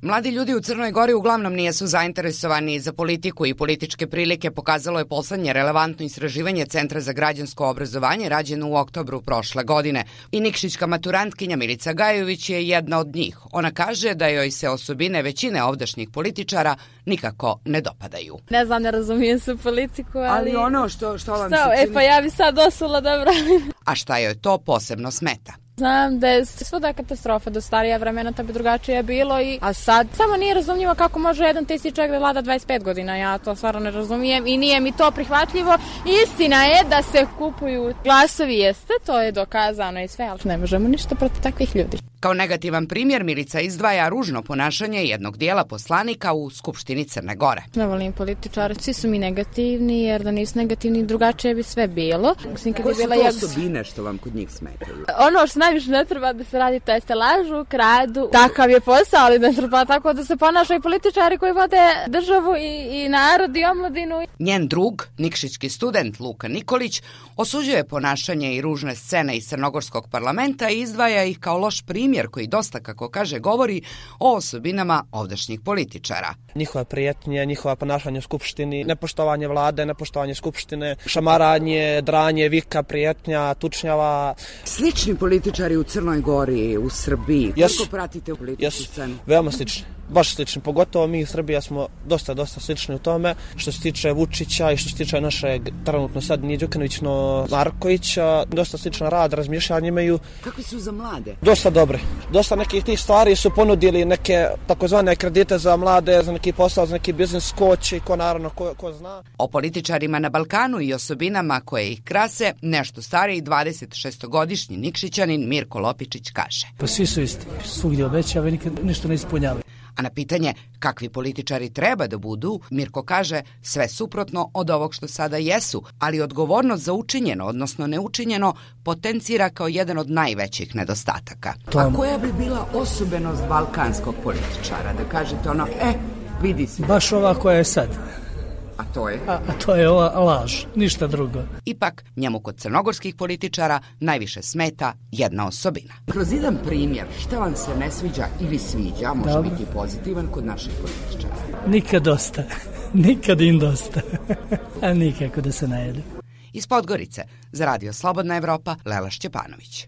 Mladi ljudi u Crnoj Gori uglavnom nisu zainteresovani za politiku i političke prilike, pokazalo je poslednje relevantno istraživanje Centra za građansko obrazovanje rađeno u oktobru prošle godine. I nikšićka maturantkinja Milica Gajović je jedna od njih. Ona kaže da joj se osobine većine ovdašnjih političara nikako ne dopadaju. Ne znam, ne razumijem se politiku, ali ono što vam se čini... pa ja bi sad osula da branim. A šta joj to posebno smeta? Znam da je svuda katastrofa, do starija vremena to bi drugačije bilo, a sad samo nije razumljivo kako može jedan te isti čovjek da vlada 25 godina, ja to stvarno ne razumijem i nije mi to prihvatljivo. Istina je da se kupuju glasovi, jeste, to je dokazano i sve, ali ne možemo ništa protiv takvih ljudi. Kao negativan primjer Milica izdvaja ružno ponašanje jednog dijela poslanika u Skupštini Crne Gore. Ne volim političare, svi su mi negativni, jer da nisu negativni drugačije bi sve bilo. Koje su to osobine što vam kod njih smetaju? Ono što najviše ne treba da se radi, to jeste lažu, kradu. Takav je posao, ali ne treba tako da se ponašaju političari koji vode državu i narod i omladinu. Njen drug, nikšićki student Luka Nikolić, osuđuje ponašanje i ružne scene iz crnogorskog parlamenta i izdvaja ih kao loš primjer koji dosta, kako kaže, govori o osobinama ovdašnjih političara. Njihova prijetnje, njihova ponašanje u Skupštini, nepoštovanje vlade, nepoštovanje Skupštine, šamaranje, dranje, vika, prijetnja, tučnjava. Slični političari u Crnoj Gori, u Srbiji, koliko pratite u političku scenu? Veoma slični. Baš slični, pogotovo mi u Srbiji smo dosta slični u tome što se tiče Vučića i što se tiče našeg trenutno sad nije Đukanović, no Markovića, dosta sličan rad, razmišljanje imaju. Kakvi su za mlade? Dosta dobre. Dosta nekih tih stvari su ponudili neke takozvane kredite za mlade, za neki posao, za neki biznis coach i ko naravno ko zna. O političarima na Balkanu i osobinama koje ih krase nešto stariji 26-godišnji Nikšićanin Mirko Lopičić kaže. Pa svi su isti, svugdje obećava i nikad ništa ne ispunjava. A na pitanje kakvi političari treba da budu, Mirko kaže sve suprotno od ovog što sada jesu, ali odgovornost za učinjeno, odnosno neučinjeno, potencira kao jedan od najvećih nedostataka. A koja bi bila osobenost balkanskog političara? Da kažete ono, vidi se. Baš ova koja je sad. A to je? A to je ova laž, ništa drugo. Ipak, njemu kod crnogorskih političara najviše smeta jedna osobina. Kroz jedan primjer, šta vam se ne sviđa ili sviđa, može biti pozitivan kod naših političara? Nikad dosta, nikad im dosta, a nikako da se najedu. Iz Podgorice, za Radio Slobodna Evropa, Lela Šćepanović.